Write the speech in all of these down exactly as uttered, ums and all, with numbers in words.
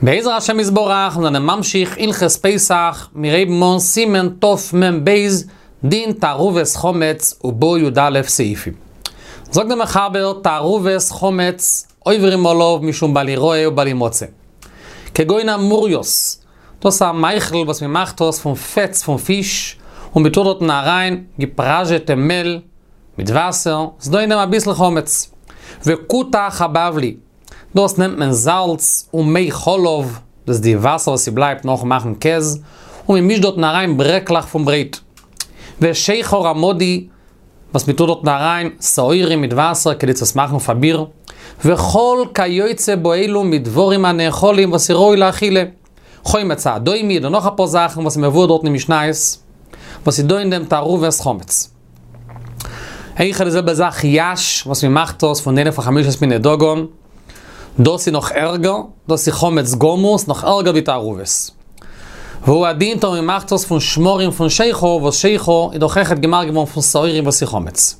בעזר השם יתברך, מיר זענען ממשיך הלכות פסח, מיר הייבן אן סימן תמ"ב, דין תערובת חמץ ובו י"א סעיפים. זאגט דער מחבר תערובת חמץ עוברים עליו משום בל יראה ובל ימצא. כגון המורייס, דאס איז א מאכל וואס מען מאכט דאס פון פעטס פון פיש, און מען טוט דארטן אריין געפראזשעטע מעל מיט וואסער, ס'איז דא אין דעם אביסל חמץ. וכותח הבבלי, דאס נעמט מען זאלץ און מי חלב, דאס איז די וואסער וואס ס'בלייבט נאכן מאכן קעז, און מ'מישט דארטן אריין ברעקלעך פון ברייט. ושכר המדי, וואס מ'טוט דארטן אריין שעורים מיט וואסער כדי צו עס מאכן פאר ביר. וכל כיוצא באלו מדברים הנאכלים וואס איז ראוי לאכילה. חומץ האדומי אדער נאך אפאר זאכן וואס איז מבואר דארטן אין משניות, וואס איז דא אין דעם תערובת חמץ. אויכעט די זעלבע זאך יש, וואס מען מאכט דאס פון איינע פון חמשת מיני דגן, דאס איז נאך ערגער, דאס איז חמץ גמור, ס'איז נאך ערגער ווי תערובת. והוא הדין טאמער מען מאכט דאס פון שמרים פון שכר, וואס שכר איז דאך אויכעט געמאכט געווארן פון שעורים וואס איז חמץ.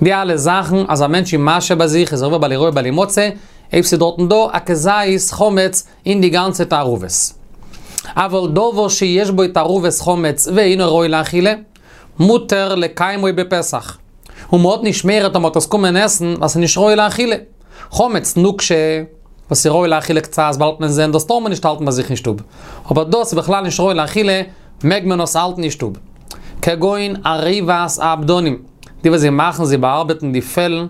די אלע זאכן אז א מענטש איז משהה ביי זיך איז ער עובר בל יראה בל ימצא, אויב ס'איז דארטן דא א כזית חמץ אין די גאנצע תערובת. אבל דבר שיש בו תערובת חמץ ואינו ראוי לאכילה, מותר לקיימו בפסח. און מ'האט נישט מורא טאמער מ'וועט עס קומען עסן ווייל ס'איז נישט ראוי לאכילה. חמץ נוקשה, וואס איז ראוי לאכילה קצת באלד וועט מען זען, דאס טאר מען נישט האלטן ביי זיך אין שטוב. אבער דאס איז בכלל נישט ראוי לאכילה, מעג מען עס האלטן אין שטוב. כגון עריבת העבדנים, די וואס זיי מאכן זיי באארבעטן די פעלן,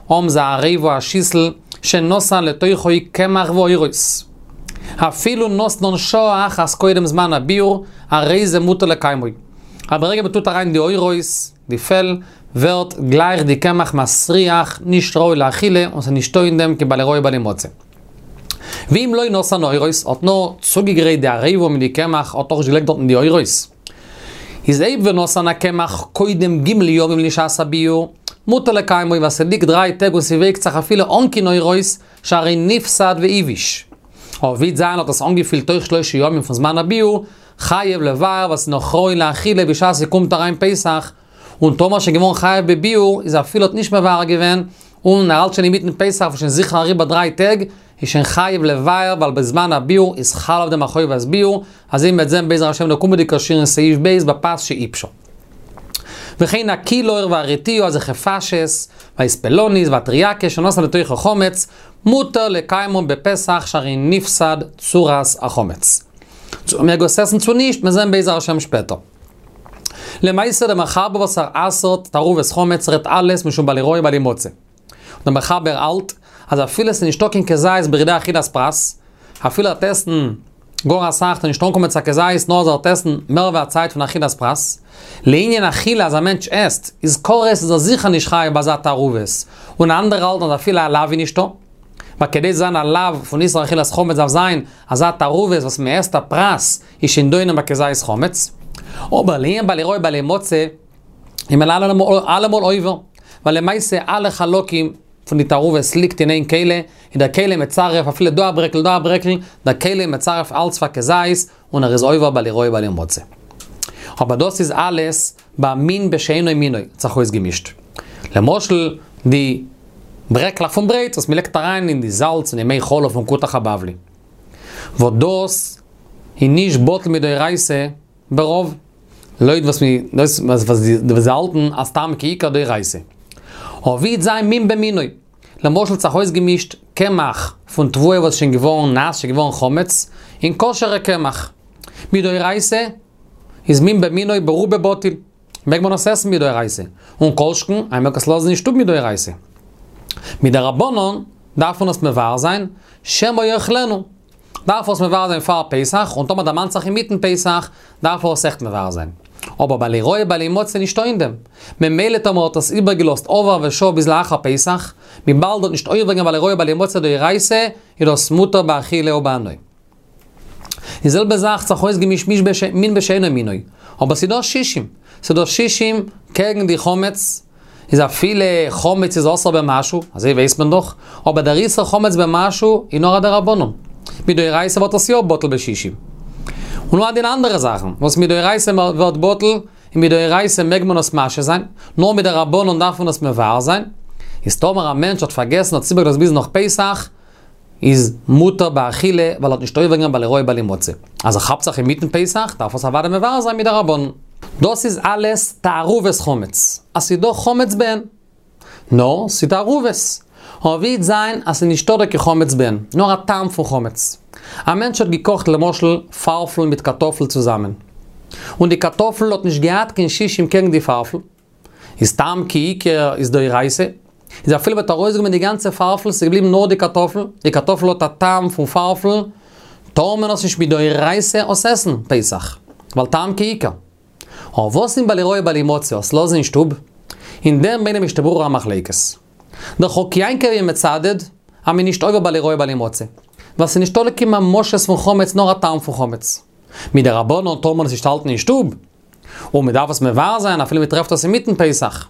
האבן זיי א עריבה א שיסל, שנתן לתוכו קמח ועורות. אפילו נתנן שעה אחת קודם זמן הביעור, הרי זה מותר לקיימו. אז ברגע מען טוט אריין די עורות, די פעל, ווערט גלייך די קמח מסריח, נישט ראוי לאכילה, און ס'איז נישטא אין דעם קיין בל יראה ובל ימצא. ואם לא נתן עורות, האט נאר צוגעגרייט די עריבה מיט די קמח, האט נאכנישט געלייגט דארטן די עורות. איז אויב ונתן הקמח קודם ג' ימים לשעת הביעור, מותר לקיימו ווייל ס'ליגט דריי טעג און ס'ווייקט זיך אפילו אן קיין עורות, שהרי נפסד והבאיש. אבער ווי זיין האט עס אנגעפילט תוך שלושה ימים פון זמן הביעור, חייב לבער ווייל ס'איז נאך ראוי לאכילה בשעת ס'קומט אריין פסח, און טאמער שוין געווארן חייב בביעור איז אפילו האט נישט מבער געווען, און ער האלט שוין אינמיטן פסח וואס שוין זיכער אריבער דריי טעג, איז שוין חייב לבער ווייל בזמן הביעור איז חל אויף דעם א חובת ביעור, אזוי מ'וועט זען בעזר השם אין די קומענדיגע שיעור אין סעיף ב' בפת שעיפשה. וכן הקילור והרטיעה אזעלכע פאשעס, והאספלנית והטריאקה שנתן לתוכו חמץ, מותר לקיימם בפסח שהרי נפסד צורת החמץ. צו מ'מעג עס עסן צו נישט, מיר זען בעזר השם שפעטער. למעשה דער מחבר וואס ער אסר'ט תערובת חמץ רעדט אלעס משום בל יראה ובל ימצא. און דער מחבר האלט אז אפילו עס איז נישטא קיין כזית בכדי אכילת פרס, אפילו ער וועט עסן גאר אסאך וועט ער נישט אנקומען צו א כזית נאר אז ער וועט עסן מער ווי א צייט פון אכילת פרס. לענין אכילה אז א מענטש עסט איז כרת איז ער זיכער נישט חייב ביי אזא תערובת, און אנדערע האלטן אז אפילו א לאו איז נישטא. ווייל כדי צו זיין א לאו פון איסור אכילת חמץ דארף זיין אזא תערובת וואס מען עסט א פרס איז שוין דא אין דעם א כזית חמץ. אבער לענין בל יראה בל ימצא איז מען אלעמאל עובר, ווייל למעשה אלע חלקים פון די תערובת ליגט אין איין כלי, און דער כלי מצרף אפילו דא א ברעקל דא א ברעקל, דער כלי מצרף אלץ פאר כזית, און ער איז עובר בל יראה בל ימצא. אבער דאס איז אלעס ביי מין בשאינו מינו, האט זיך אויסגעמישט. למשל די ברעקלעך פון ברייט וואס מ'לייגט אריין אין די זאלץ און די מי חלב פון כותח הבבלי. וואס דאס איז נישט בטל מדאורייתא ברוב. לויט וואס מ דאס וואס די וואס האלטן אז סתם כי עיקר דאורייתא. אבער ווי וועט זיין מין במינו. למשל האט זיך אויסגעמישט קמח פון תבואה וואס איז שוין געווארן נאס, שוין געווארן חמץ, אין כשר'ע קמח. מדאורייתא איז מין במינו ברובא בטיל. מעג מען עס עסן מדאורייתא. און כל שכן אז מ'מעג עס לאזן אין שטוב מדאורייתא. מדרבנן דארף מען עס מבער זיין, שמא יאכלנו. דארף ער עס מבער זיין פאר פסח, און טאמער דערמאנט זיך אינמיטן פסח, דארף ער עס עכט מבער זיין. אבער בל יראה בל ימצא נישטא אין דעם. ממילא טאמער האט עס איבערגעלאזט עובר ושב ביז לאחר פסח, וויבאלד האט נישט עובר געווען בל יראה בל ימצא דאורייתא, איז דאס מותר באכילה ובהנאה. די זעלבע זאך האט זיך אויסגעמישט מין בשאינו מינו. אבער ס'איז דא שישים. ס'איז דא שישים קעגן די חמץ, איז אפילו חמץ איז אסור במשהו, אזוי ווייסט מען דאך, אבער דער איסור חמץ במשהו איז נאר א דרבנן. מדאורייתא ווערט עס יא בטל בשישים. און הוא הדין אנדערע זאכן, וואס מדאורייתא ווערט בטל, און מדאורייתא מעג מען עס משהה זיין, נאר מדרבנן דארף מען עס מבער זיין. איז טאמער א מענטש האט פארגעסן האט עס איבערגעלאזט ביז נאך פסח, איז מותר באכילה, ווייל ער האט נישט עובר געווען בל יראה בל ימצא. אז ער כאפט זיך אינמיטן פסח, דארף ער עס אוודאי מבער זיין מדרבנן. דאס איז אלעס תערובת חמץ. אז ס'איז דא חמץ בעין. נאר, ס'איז תערובת. אבער ווי וועט זיין אז ס'איז נישטא דא קיין חמץ בעין, נאר א טעם פון חמץ. א מענטש האט געקאכט למשל פארפל מיט קארטאפל צוזאמען. און די קארטאפל האט נישט געהאט קיין שישים קעגן די פארפל. איז טעם כעיקר איז דאורייתא. איז אפילו מ'האט ארויסגענומען די גאנצע פארפל, ס'איז געבליבן נאר די קארטאפל, די קארטאפל האט א טעם פון פארפל, טאר מען עס נישט מדאורייתא עס עסן פסח, ווייל טעם כעיקר. אבער וואס איז בל יראה בל ימצא, עס לאזן אין שטוב? אין דעם ברענגט דער משנה ברורה א מחלוקת. דער חק יעקב איז מצדד אז מ'איז נישט עובר בל יראה בל ימצא, ווייל ס'איז נישטא קיין ממשות פון חמץ נאר א טעם פון חמץ. מדרבנן טאר מען עס נישט האלטן אין שטוב, און מ'דארף עס מבער זיין אפילו מ'טרעפט עס אינמיטן פסח.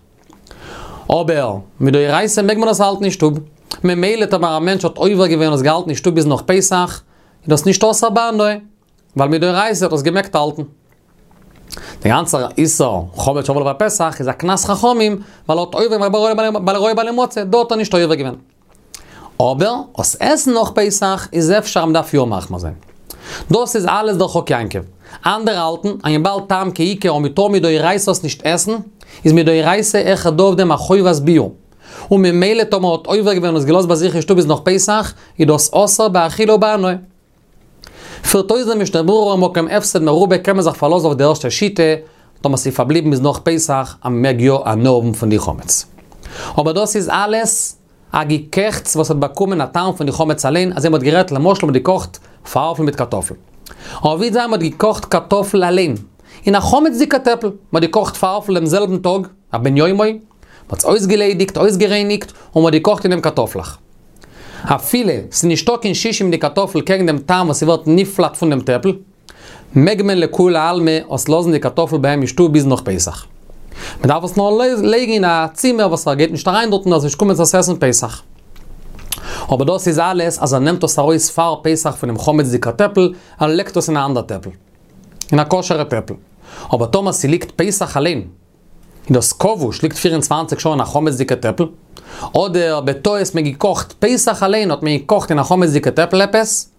אבער מדאורייתא מעג מען עס האלטן אין שטוב. ממילא טאמער א מענטש האט עובר געווען און עס געהאלטן אין שטוב ביז נאך פסח, איז דאס נישט אסור בהנאה, ווייל מדאורייתא האט עס געמעגט האלטן. דער גאנצער איסור חמץ שעבר עליו הפסח איז א קנס חכמים, ווייל ער האט עובר געווען בל יראה בל ימצא, דא האט ער נישט עובר געווען. אבער עס עסן נאך פסח איז אפשר אז מ'דארף יא מחמיר זיין. דאס איז אלעס דער חק יעקב. אנדערע האלטן אז וויבאלד טעם כעיקר און מ'טאר מדאורייתא עס נישט עסן, איז מדאורייתא אויכעט דא אויף דעם א חובת ביעור. און ממילא טאמער האט עובר געווען און עס געלאזט ביי זיך אין שטוב ביז נאך פסח, איז דאס אסור באכילה ובהנאה. פירט אויס דער משנה ברורה מקום הפסד מרובה קען מען זיך פארלאזן אויף די ערשטע שיטה, טאמער ס'איז פארבליבן ביז נאך פסח אז מ'מעג יא הנאה האבן פון די חמץ. אבער דאס איז אלעס א געקעכטס וואס האט באקומען א טעם פון די חמץ אליין, אזוי מ'האט גערעדט למשל מ'האט געקאכט פארפל מיט קארטאפל. אבער ווי זיין מ'האט געקאכט קארטאפל אליין, אין א חמצ'דיגע טעפל, מ'האט געקאכט פארפל דעם זעלבן טאג, א בן יומו, מ'האט עס אויסגעליידיגט, אויסגערייניגט, און מ'האט געקאכט אין דעם קארטאפלעך. אפילו ס'איז נישטא קיין שישים אין די קארטאפל קעגן דעם טעם וואס ס'ווערט נפלט פון דעם טעפל, מעג מען לכולי עלמא עס לאזן די קארטאפל ביי אים אין שטוב ביז נאך פסח. מען דארף עס נאר לייגן אין א צימער וואס ער גייט נישט אריין דארטן ער זאל נישט קומען צו עס עסן פסח. אבער דאס איז אלעס אז ער נעמט עס ארויס פאר פסח פונעם חמצ'דיגע טעפל, ער לייגט עס אין א אנדער טעפל. אין א כשר'ע טעפל. אבער טאמער ס'ליגט פסח אליין, און דאס כבוש ליגט פֿיר און צוואַנציק שעה אין א חמצ'דיגע טעפל, אדער בטעות מען געקאכט פסח אליין האט מען געקאכט אין א חמצ'דיגע טעפל עפעס,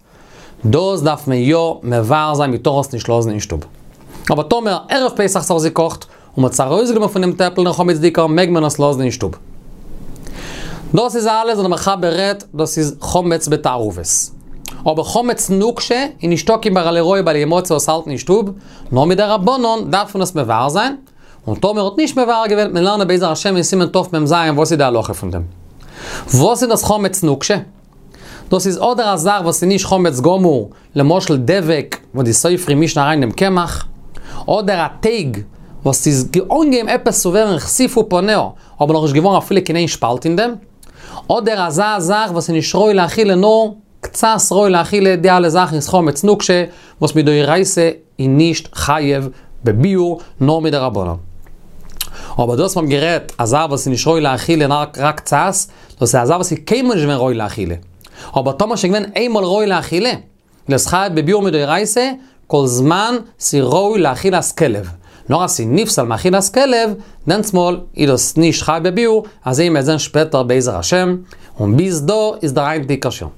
דאס דארף מען יא מבער זיין מען טאר עס נישט לאזן אין שטוב. אבער טאמער ערב פסח ס'האט זיך געקאכט און מ'האט עס ארויסגענומען פונעם טעפל דעם חמצ'דיגער מעג מען עס לאזן אין שטוב. דאס איז אלעס וואס דער מחבר רעדט, דאס איז חמץ בתערובת. אבער חמץ נוקשה איז נישטא קיין בל יראה בל ימצא עס האלטן אין שטוב, נאר מדרבנן דארף מען עס מבער זיין, און טאמער האט נישט מבער געווען, מען לערנען בעזר השם אין סימן תמ"ז וואס איז די הלכה פון דעם. וואס איז דאס חמץ נוקשה? דאס איז אדער א זאך וואס איז נישט חמץ גמור, למשל דבק וואס די סופרים מישן אריין דעם קמח, אדער א טייג וואס איז אנגעהויבן עפעס צו ווערן כסיפו פניה, אבער נאכנישט געווארן אפילו קיין איין שפאלט אין דעם, אדער אזא זאך וואס איז נישט ראוי לאכילה נאר קצת ראוי לאכילה, די אלע זאכן איז חמץ נוקשה וואס מדאורייתא איז נישט חייב בביעור נאר מדרבנן. אבער דאס מ'האט גערעדט א זאך וואס איז נישט ראוי לאכילה נאר רק קצת, דאס איז א זאך וואס איז קיינמאל נישט געווען ראוי לאכילה. אבער טאמער שוין געווען איינמאל ראוי לאכילה, איז חייב בביעור מדאורייתא, כל זמן ס'איז ראוי לאכילת כלב. נאר אז ס'איז נפסל מאכילת כלב, דענסמאל איז דאס נישט חייב בביעור, אזוי מ'עט זען שפעטער בעזר השם, און ביז דא איז דער היינטיגער שיעור.